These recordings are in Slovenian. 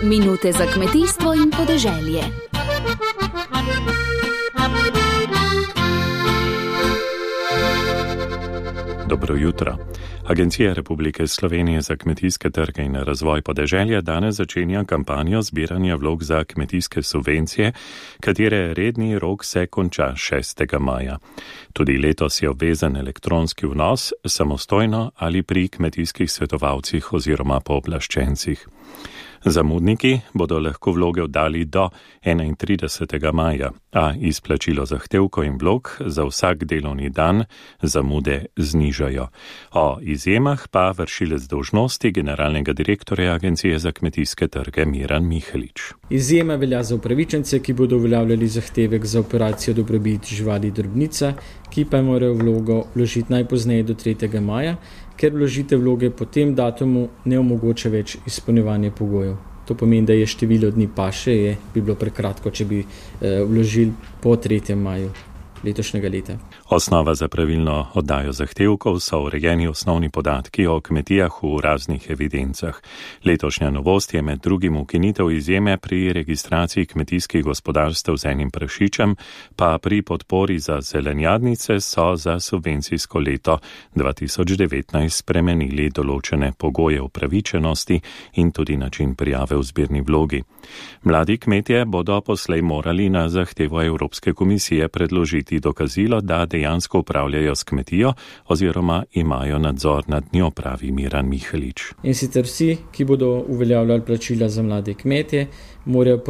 Minute za kmetijstvo in podeželje. Dobro jutro. Agencija Republike Slovenije za kmetijske trge in razvoj podeželja danes začenja kampanjo zbiranja vlog za kmetijske subvencije, katere redni rok se konča 6. maja. Tudi letos je obvezen elektronski vnos, samostojno ali pri kmetijskih svetovalcih oziroma pooblaščencih. Zamudniki bodo lahko vloge oddali do 31. maja, a izplačilo zahtevkov in vlog za vsak delovni dan zamude znižajo. O izjemah pa vršilec dolžnosti generalnega direktorja Agencije za kmetijske trge Miran Mihelič. Izjema velja za upravičence, ki bodo uveljavljali zahtevek za operacijo dobrobit živali drobnica, ki pa morajo vlogo vložiti najpozneje do 3. maja, ker vložitev vloge po tem datumu ne omogoča več izpolnjevanja pogojev. To pomeni, da je število dni paše, bi bilo prekratko, če bi vložili po 3. maju letošnjega leta. Osnova za pravilno oddajo zahtevkov so urejeni osnovni podatki o kmetijah v raznih evidencah. Letošnja novost je med drugim ukinitev izjeme pri registraciji kmetijskih gospodarstev z enim prašičem, pa pri podpori za zelenjadnice so za subvencijsko leto 2019 spremenili določene pogoje upravičenosti in tudi način prijave v zbirni vlogi. Mladi kmetje bodo poslej morali na zahtevo Evropske komisije predložiti dokazilo, da dejansko upravljajo s kmetijo oziroma imajo nadzor nad njo, pravi Miran Mihelič. In sicer vsi, ki bodo uveljavljali plačila za mlade kmetje, morajo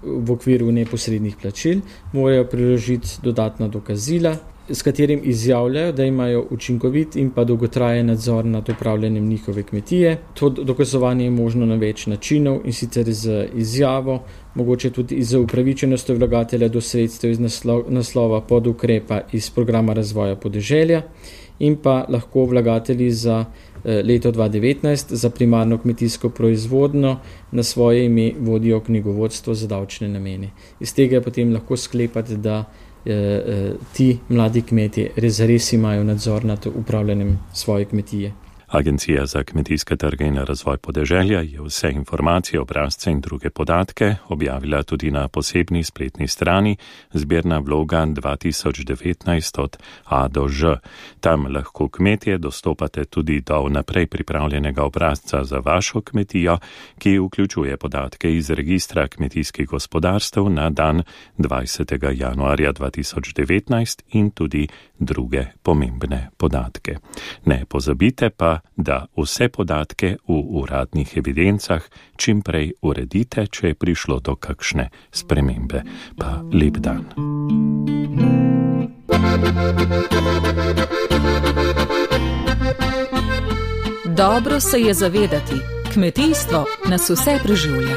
v okviru neposrednih plačil, morajo priložiti dodatna dokazila, s katerim izjavljajo, da imajo učinkovit in pa dolgotrajen nadzor nad upravljanjem njihove kmetije. To dokazovanje je možno na več načinov, in sicer z izjavo, mogoče tudi z upravičenostjo vlagatelja do sredstev iz naslova podukrepa iz programa razvoja podeželja, in pa lahko vlagatelji za leto 2019 za primarno kmetijsko proizvodnjo na svoje ime vodijo knjigovodstvo za davčne namene. Iz tega je potem lahko sklepati, da ti mladi kmetje res imajo nadzor nad upravljanjem svoje kmetije. Agencija za kmetijske trge in razvoj podeželja je vse informacije, obrazce in druge podatke objavila tudi na posebni spletni strani zbirna vloga 2019 od A do Ž. Tam lahko kmetje dostopate tudi do vnaprej pripravljenega obrazca za vašo kmetijo, ki vključuje podatke iz registra kmetijskih gospodarstev na dan 20. januarja 2019 in tudi druge pomembne podatke. Ne pozabite pa, da vse podatke v uradnih evidencah čim prej uredite, če je prišlo do kakšne spremembe. Pa lep dan. Dobro se je zavedati, kmetijstvo nas vse preživlja.